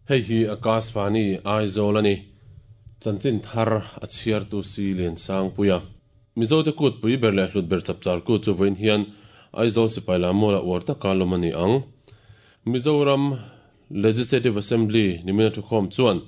Hei hi Akashvani Aizawl a ni. Chanchin thar a chhiartu si Liansangpuia. Mizote kut pui ber leh hlut ber chapchar kut chu vawiin hian Aizawl sipai lam mawla uar taka lawm a ni ang. Mizoram Legislative Assembly nimina thukhawm chuan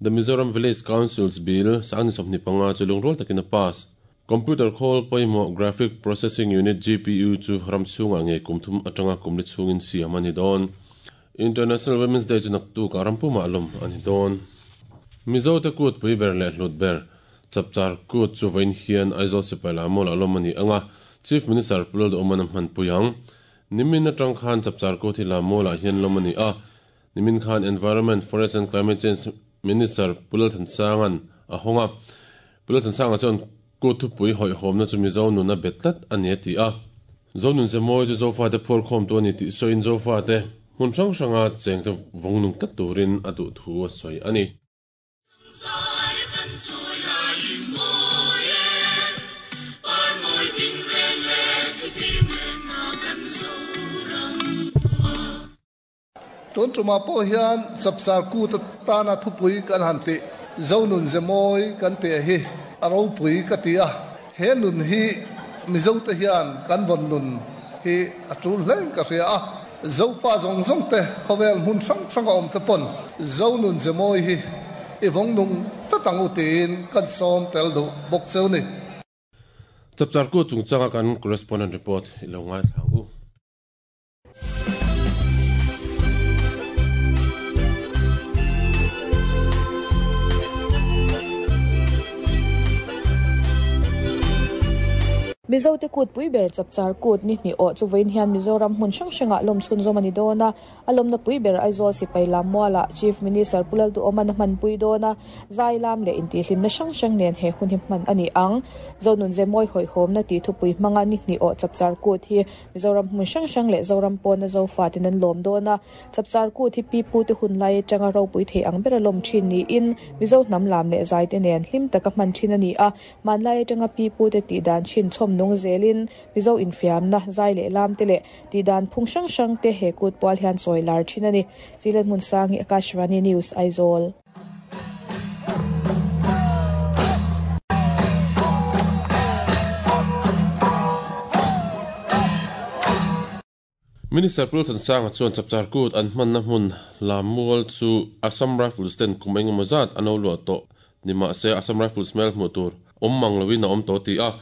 The Mizoram Village Councils Bill sangni 25 chu lungrual takin a pass. Computer khawl pawimawh Graphic Processing Unit, GPU, chu ram chhungah ngei kum thum atanga kum li chhungin siam a ni dawn. International Women's Day chu naktuk ah rampumah lawm a ni dawn. Mizote kut pui ber leh hlut ber Chapchar Kut chu vawiin hian Aizawl sipai lam mawlah lawm a ni ang a, Chief Minister Pu Lalduhawman a hmanpui ang. Nimin atang khan Chapchar Kut hi lam mawlah hian lawm a ni a, nimin khan Environment, Forest and Climate Change Minister Pu Lalthansanga'n a hawng a. Pu Lalthansanga chuan Kut thupui hawihhawmna chu Mizo nun a bet tlat a ni a ti a. Zo nun ze mawi chu Zofate phuarkhawmtu a ni tih sawiin Zofate hmun hrang hranga chengte vawng nung tlat turin a duh thu a sawi a ni. Tun tumah pawh hian Chapchar Kut atana thupui kan han tih, Zonun ze mawi kan tih hi a ropui ka ti a. He nun hi Mizote hian kan vawn nun hi a tul hlein ka hria a. Zofa zawng zawng te khawvel hmun hrang hranga awm te pawn Zonun ze mawi hi i vawng nung tlat ang u tiin kan sawm tel duh bawk cheu ni. Chapchar Kut chungchanga kan correspondent report i lo ngaithla ang u. Mizote kut pui ber Chapchar Kut ni hnih awh chu vawiin hian Mizoram hmun hrang hrangah lawm chhunzawm a ni dawn a. A lawmna pui ber Aizawl sipai lam mualah Chief Minister Pu Lalduhawman a hmanpui dawn a, zai lam leh intihhlimna hrang hrang nen he hun hi hman a ni ang. Zonun ze mawi hawihhawmna tih thupui hmanga ni hnih awh Chapchar Kut hi Mizoram hmun hrang hrang leh Zoram pawna Zofaten an lawm dawn a, Chapchar Kut hi pi pute hun lai atanga ropui thei ang bera lawm thin niin Mizo hnam lam leh zaite nen hlim taka hman thin a ni a, hmanlai atanga pi pute tih dan thin chhawm nung zelin Mizo infiamna, zai leh lam te leh tih dan phung hrang hrang te he kut pual hian chawi lar thin a ni. Chilen Hmunsangi, Akashvani News, Aizawl. Minister Pu Lalthansanga chuan Chapchar Kut an hmanna hmun Lammual chu Assam Rifles ten kum engemaw zat an lo luah tawh ni mahse Assam Rifles hmel hmuh tur awm mang loin a awm tawh tih a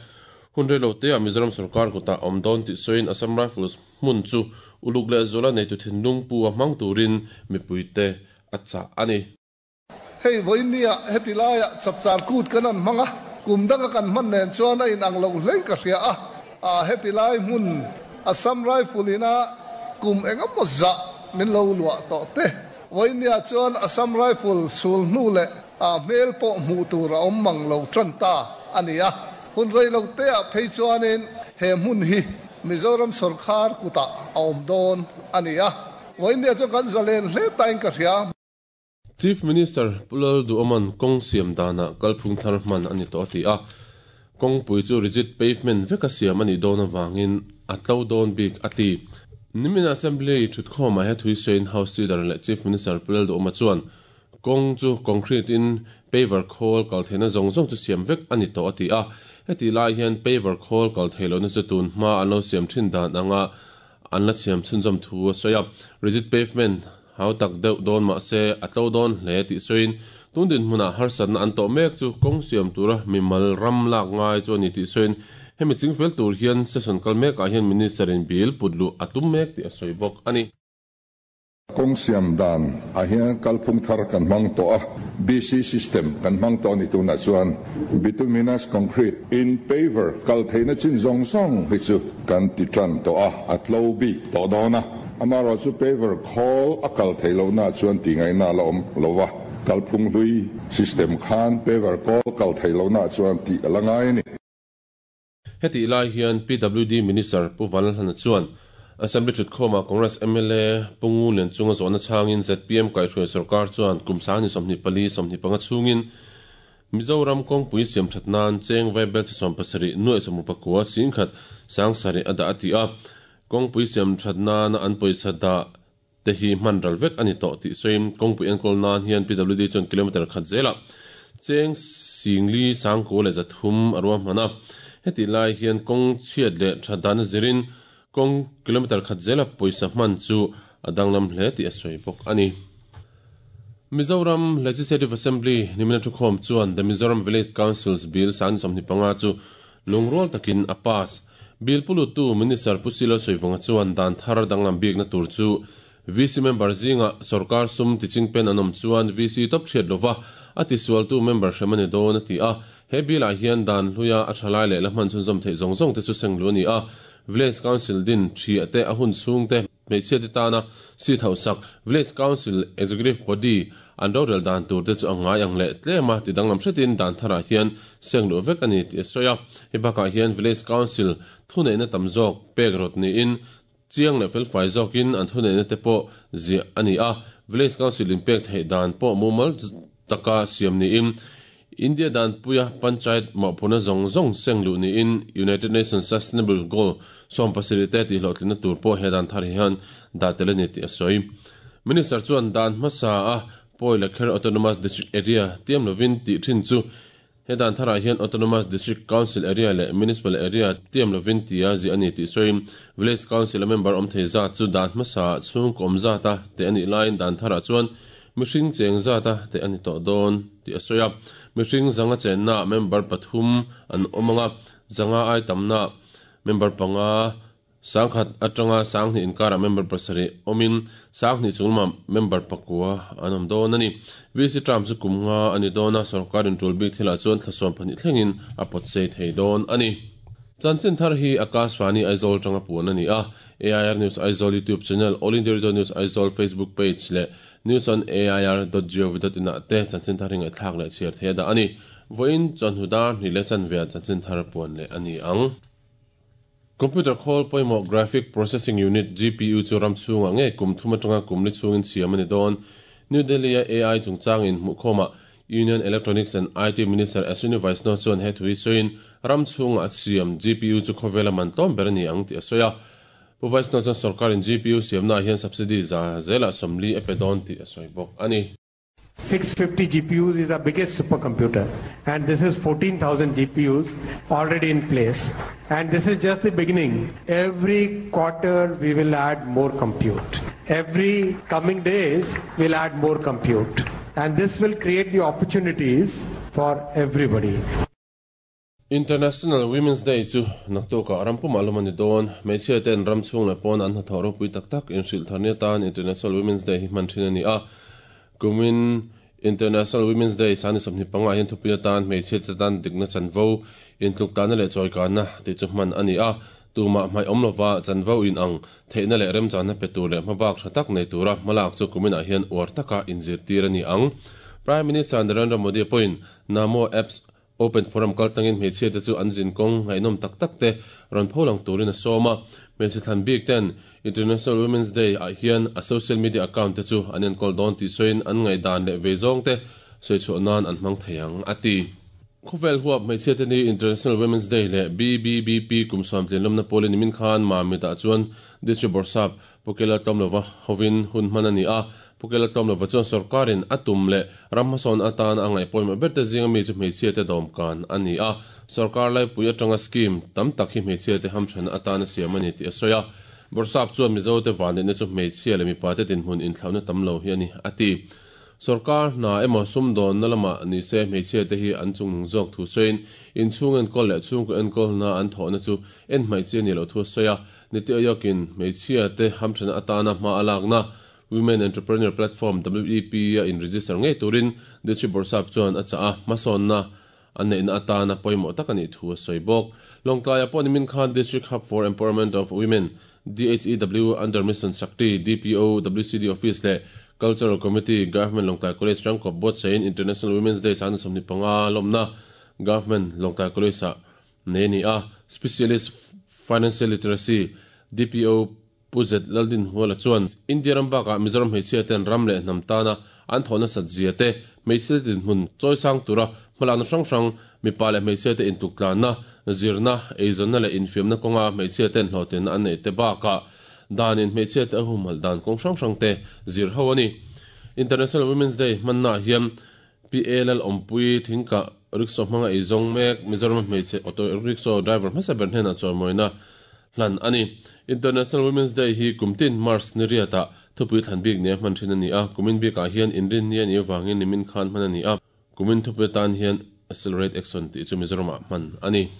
hun rei lo teah Mizoram sorkar kutah awm dawn tih sawiin Assam Rifles hmun chu uluk leh zuala neitu thinlung pu a hmang turin mipuite a chah a ni. Hei vawinia heti laiah Chapchar Kut kan han hmang a, kum danga kan hman nen chuan a inang lo hlein ka hria a, aa heti lai hmun Assam Rifle ina kum engemaw zah min lo luah tawh te. Vawinia chuan Assam Rifle sul hnu leh aa hmel pawh hmuh tur a awm mang lo tan ta a ni a, hun rei lo teah phei chuanin he hmun hi Mizoram sawrkhar kutah a awm dawn a ni a. Vawinia chuan kan zalen hle tain ka hria. Chief Minister Pu Lalduhawman kawng siam danah kalphung thar hman a ni tawh a ti a, kawngpui chu rigid pavement veka siam a nih dawn avangin a tlo dawn bik a ti. Nimin Assembly thutkhawmah he thui sawiin House Leader leh Chief Minister Pu Lalduhawma chuan kawng chu concrete in paver khawl kal theihna zawng zawng chu siam vek a ni tawh a ti a, hetih lai hian paver khawl kal theih lohna chu tun hma an lo siam thin dan anga An la chhiam chhunzawm thu a sawi a, rigid pavement hau tak deuh dawn mah se a tlo dawn hle tih sawiin tun dinhmunah harsatna an tawh mek chu kawng siam tura mimal ram lak ngai chu a ni tih sawiin hemi chingfel tur hian session kal mekah hian Minister in bill put luh a tum mek tih a sawi bawk a ni. Kawng siam dan ah hian kalphung thar kan hmang tawh a, BC system kan hmang tawh a ni tunah chuan bituminous concrete in paver kal theihna chin zawng zawng hi chu kan ti tan tawh a, a tlo bik tawh dawn a. Amaherawhchu paver khawl a kal theih lohna chuan tih ngaihna a la awm lo va, kalphung hlui system khan paver kawl kal theih lohna chuan tih a la ngai a ni. Hetih lai hian PWD Minister Pu Vanlalhlana chuan Assembly thutkhawmah Congress mla Pu Ngu Lian chunga zawhna chhangin zpm kaihhruai sorkar chuan kum sangni 24, 25 chhungin Mizoram kawngpui siamthat nan cheng vaibelchhe 17 nuaih 69 singkhat sangsarih a dah a ti a. Kawngpui siamthat nana an pawisa dah. te hi hman ral vek a ni tawh tih sawiin kawngpui enkawl nan hian PWD chuan kilometre khat zelah cheng singli sangkua leh zathum a ruahman a. Hetih lai hian kawng chhiat leh that dan zirin kawng kilometre khat zela pawisa hman chu a danglam hle tih a sawi bawk a ni. Mizoram Legislative Assembly nimina thukhawm chuan The Mizoram Village Councils Bill 25 chu lungrual takin a pass. Bill pulutu Minister Pu Silo Soivunga chuan dan thar danglam bikna tur chu VC member zinga sarkar sum tichingpen an awm chuan VC top thiat lova a tisualtu member hrem a ni dawn a ti a. He bill ah hian dan hluia a thalai leh la hman chhunzawm theih zawng zawng te chu seng lu a ni a. Village Council din thiah te a hun chhung te hmeichhia te tana seat hauhsak Village Council Executive Body an rorel dan tur te chu a ngai ang leh tlem a ti danglam hretin dan tharah hian seng luh vek a ni tih a sawi a. Hei bakah hian Village Council thuneihna tam zawk pek rawt niin chiang leh felfai zawkin an thuneihna te pawh ziah a ni a. Village Council inpek theih dan pawh mumal taka siam niin India danpuia Panchayat mawhphurhna zawng zawng seng luh niin United Nations Sustainable Goal 17 te tihhlawhtlinna tur pawh he dan thar hian dah tel a ni tih a sawi. Minister chuan dan hmasa a Pawi leh Kher Autonomous District Area tiam lovin tih thin chu he dan tharah hian Autonomous District Council Area leh Municipal Area tiam lovin tia ziah a ni tih sawiin Village Council a member awm thei zat chu dan hmasa chhungkaw awm zata teh a nih laiin dan tharah chuan mihring cheng zata teh a ni tawh dawn tih a sawi a. Mihring zanga chenna member pathum an awm anga zanga ai tamna member panga sangkhat atanga sanghnih inkarah member pasarih awmin sanghnih chunglamah member pakua an awm dawn a ni. VC term chu kum nga a ni dawn a, sorkarin tul bik thilah chuan thla 12 thlengin a pawt sei thei dawn a ni. Chanchin thar hi Akashvani Aizawl tanga puan a ni a. AIR News Aizawl YouTube channel, All India Radio News Aizawl Facebook page leh news on air.gov.in ah te chanchin thar hi ngaihthlak leh chhiar thei a dah a ni. Vawiin chawhnu dar hnih leh chanve ah chanchin thar puan leh a ni ang. Computer khawl pawimawh Graphic Processing Unit, GPU, chu ram chhungah ngei kum thum atanga kum li chhungin siam a ni dawn. New Delhi-a AI chungchang inhmuhkhawmah Union Electronics and IT Minister Ashwini Vaishnaw chuan he thu hi sawiin ram chhungah a siam GPU chu khawvela man tlawm ber a ni ang tih a sawi a. Pu Vaishnaw chuan sorkarin GPU siamnaah hian subsidy za zelah 40 a pe dawn tih a sawi bawk a ni. 650 GPUs is our biggest supercomputer, and this is 14,000 GPUs already in place, and this is just the beginning. Every quarter we will add more compute. Every coming days we'll add more compute, and this will create the opportunities for everybody. International Women's Day chu naktukah ram pumah lawm a ni dawn. Hmeichhia ten ram chhung leh pawn an hnathawh ropui tak tak inhrilh thar ni atan International Women's Day hi hman thin a ni a. Kumin International Women's Day sani 25 hian thupui atan hmeichhia te tan dikna chanvo intluktlana leh chawikanna tih chu hman a ni a. Tumah hmaih awm lova chanvo in ang theihna leh remchanna pe tur leh hmabak tha tak nei tura hmalak chu kuminah hian uar taka inzirtir a ni ang. Prime Minister Narendra Modi pawhin Namo Apps Open Forum kaltlangin hmeichhia te chu an zin kawng ngaihnawm tak tak te rawn pho lang turin a sawm a. Hmeichhe thlan bik ten International Women's Day ah hian a social media account te chu an enkawl dawn tih sawiin an ngaihdan leh vei zawng te sawi chhuah nan an hmang thei ang, a ti. Khawvel huap hmeichhia te ni International Women's Day leh BBBP kum sawm tlinlawmna pawlin nimin khan Mamit ah chuan District Bawrhsap Pukela Tlawmlova hovin hun hman a ni a. Pukela Tlawmlova chuan sorkarin a tum leh ram hmasawn atan a ngaih pawimawh ber te zinga mi chu hmeichhia te dawmkan a ni a. Sorkar laipui atanga scheme tam tak hi hmeichhia te hamthanna atan a siam a ni tih a sawi a. Bawrhsap chuan Mizo te vanneihna chu hmeichhia leh mipa te dinhmun inthlauhna tam lo hi a ni, a ti. Sorkar hna emaw sumdawnna lamah ni se hmeichhia te hi an chungnung zawk thu sawiin inchhung enkawl leh chhungkaw enkawlna an thawhna chu en hmaih chi a ni loh thu a sawi a. Niti Ayokin hmeichhia te hamthanna atana hma a lakna Women Entrepreneur Platform, WEP, a in-register ngei turin District Bawrhsap chuan a chah a, hmasawnna a neihna atana pawimawh tak a nih thu a sawi bawk. Lawngtlaiah pawh nimin khan District Hub for Empowerment of Women, DHEW, under Mission Shakti, DPO, WCD Office leh Cultural Committee, Government Lawngtlai College rangkawp buatsaihin International Women's Day 25 lawmna Government Lawngtlai College-ah nei a ni a. Specialist Financial Literacy, DPO, Pu Zet Laldinhuala chuan India ram bakah Mizoram hmeichhia ten ram leh hnam tana an thawh nasat zia te, hmeichhia dinhmun chawisang tura hmalakna hrang hrang, mipa leh hmeichhia te intuktlanna, zirna, eizawnna leh infiamna kawnga hmeichhia ten hlawhtlinna an neih te bakah danin hmeichhiate a humhalh dan kawng hrang hrangte zir ho a ni. International Women's Day hmannaah hian PA Lalawmpui Thingkah rickshaw hmanga ei zawng mek Mizoram hmeichhe auto rickshaw driver hmasa ber hnenah chawimawina hlan a ni. International Women's Day hi kum tin March ni riatah thupui thlan bik nia hman thin a ni a, kumin bikah hian inrinni a nih avangin nimin khan hman a ni a, kumin thupui atan hian Accelerate Action tih chu Mizoramah hman a ni.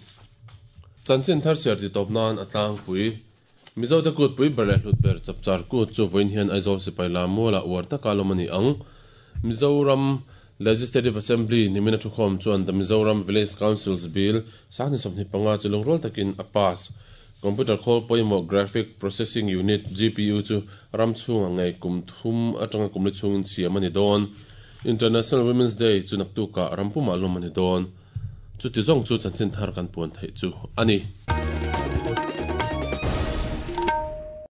Chanchin thar chhiar ti tawp nan a tlangpui. Mizote kut pui ber leh hlut ber Chapchar Kut chu vawiin hian Aizawl sipai lam mualah uar taka lawm a ni ang. Mizoram Legislative Assembly nimina thukhawm chuan The Mizoram Village Councils Bill 2025 chu lungrual takin a pass. Computer khawl pawimawh Graphic Processing Unit, GPU, chu ram chhungah ngei kum thum atanga kum li chhungin siam a ni dawn. International Women's Day chu naktukah ram pumah lawm a ni dawn. Chuti zawng chu chanchin thar kan puan theih chu a ni.